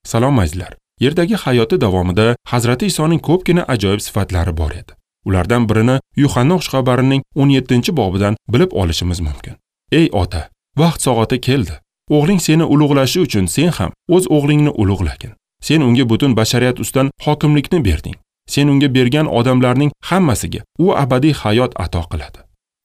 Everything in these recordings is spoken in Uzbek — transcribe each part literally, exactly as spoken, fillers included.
Salom azizlar. Yerdagi hayoti davomida Hazrati Isoning ko'pgina ajoyib sifatlari bor edi. Ulardan birini Yuhanna xushxabarining o'n yettinchi bobidan bilib olishimiz mumkin. Ey ota, vaqt soati keldi. O'g'ling seni ulug'lashi uchun sen ham o'z o'g'lingni ulug'lagin. Sen unga butun bashariyat ustidan hokimlikni berding. Sen unga bergan odamlarning hammasiga u abadiy hayot ato qiladi.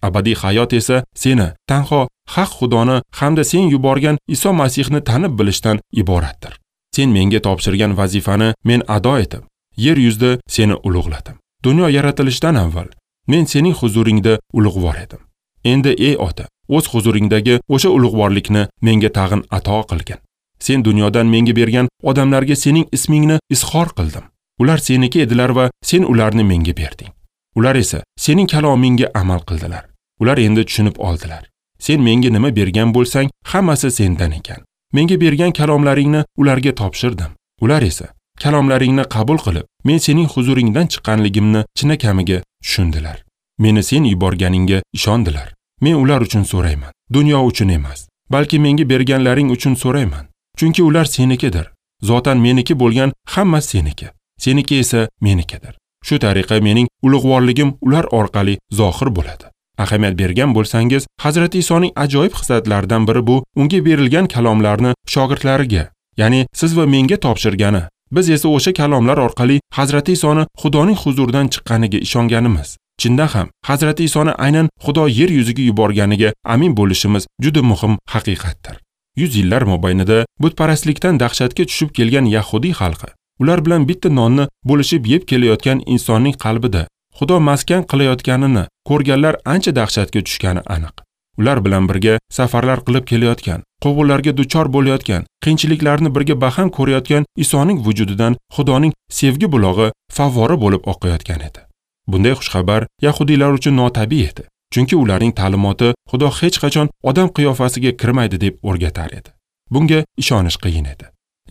Abadiy hayot esa seni tanho haq Xudoni hamda sen yuborgan Iso Masihni tanib bilishdan iboratdir. Sen menga topshirgan vazifani men ado etib, yer yuzida seni ulug'ladim. Dunyo yaratilishidan avval men sening huzuringda ulug'vor edim. Endi ey ota, o'z huzuringdagi o'sha ulug'vorlikni menga tag'in ato qilgin. Sen dunyodan menga bergan odamlarga sening ismingni izhor qildim. Ular seniki edilar va sen ularni menga berding. Ular esa sening kalomingga amal qildilar. Ular endi tushunib oldilar. Sen menga nima bergan bo'lsang, hammasi sendan ekan. Menga bergan kalomlaringni ularga topshirdim. Ular esa kalomlaringni qabul qilib, men sening huzuringdan chiqqanligimni chinakamiga tushundilar. Meni sen yuborganingga ishondilar. Men ular uchun so'rayman, dunyo uchun emas, balki menga berganlaring uchun so'rayman. Chunki ular senikidir. Zotan meniki bo'lgan hammasi seniki. Seniki esa menikidir. Shu tariqa mening ulug'vorligim ular orqali zohir bo'ladi. Ahamiyat bergan bo'lsangiz, Hazrati Isoning ajoyib xislatlaridan biri bu unga berilgan kalomlarni shogirdlariga, ya'ni siz va menga topshirgani. Biz esa o'sha kalomlar orqali Hazrati Isoni Xudoning huzuridan chiqqaniga ishonganimiz. Chindan ham Hazrati Isoni aynan Xudo yer yuziga yuborganiga amin bo'lishimiz juda muhim haqiqatdir. Yuz yillar mobaynida butparastlikdan dahshatga tushib kelgan yahudiy xalqi, ular bilan bitta nonni bo'lishib yeb kelayotgan insonning qalbida Xudo maskan qilayotganini ko'rganlar ancha dahshatga tushgani aniq. Ular bilan birga safarlar qilib kelayotgan, quvg'inlarga duchor bo'layotgan, qiyinchiliklarni birga baham ko'rayotgan Isoning vujudidan Xudoning sevgi bulog'i favvora bo'lib oqayotgan edi. Bunday xushxabar yahudiylar uchun notabiiy edi, chunki ularning ta'limoti Xudo hech qachon odam qiyofasiga kirmaydi deb o'rgatar edi. Bunga ishonish qiyin edi.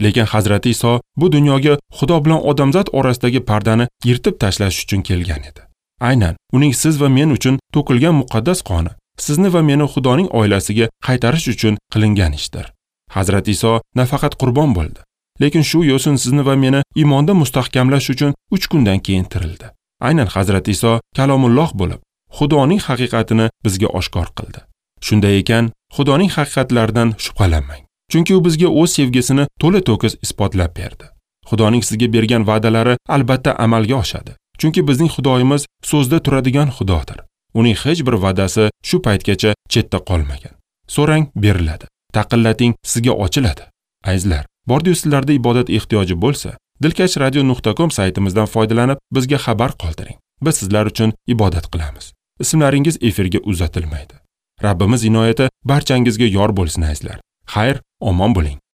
Lekin Hazrati Iso bu dunyoga Xudo bilan odamzod orasidagi pardani yirtib tashlash uchun kelgan edi. Aynan uning siz va men uchun to'kilgan muqaddas qoni sizni va meni Xudoning oilasiga qaytarish uchun qilingan ishdir. Hazrati Iso nafaqat qurbon bo'ldi, lekin shu yo'sin sizni va meni iymonda mustahkamlash uchun uch kundan keyin tirildi. Aynan Hazrati Iso kalomulloh bo'lib, Xudoning haqiqatini bizga oshkor qildi. Shunday ekan, Xudoning haqiqatlaridan shubhalanmang. Chunki u bizga o'z sevgisini to'la to'kis isbotlab berdi. Xudoning sizga bergan va'dalari albatta amalga oshadi. Chunki bizning Xudoyimiz so'zda turadigan Xudodir. Uning hech bir va'dasi shu paytgacha chetda qolmagan. So'rang, beriladi. Taqillating, sizga ochiladi. Azizlar, bordi-yu sizlarda ibodat ehtiyoji bo'lsa, dilkash radio nuqta com saytimizdan foydalanib bizga xabar qoldiring. Biz sizlar uchun ibodat qilamiz. Ismlaringiz efirga uzatilmaydi. Rabbimiz inoyati barchangizga yor bo'lsin azizlar. Xayr, omon bo'ling.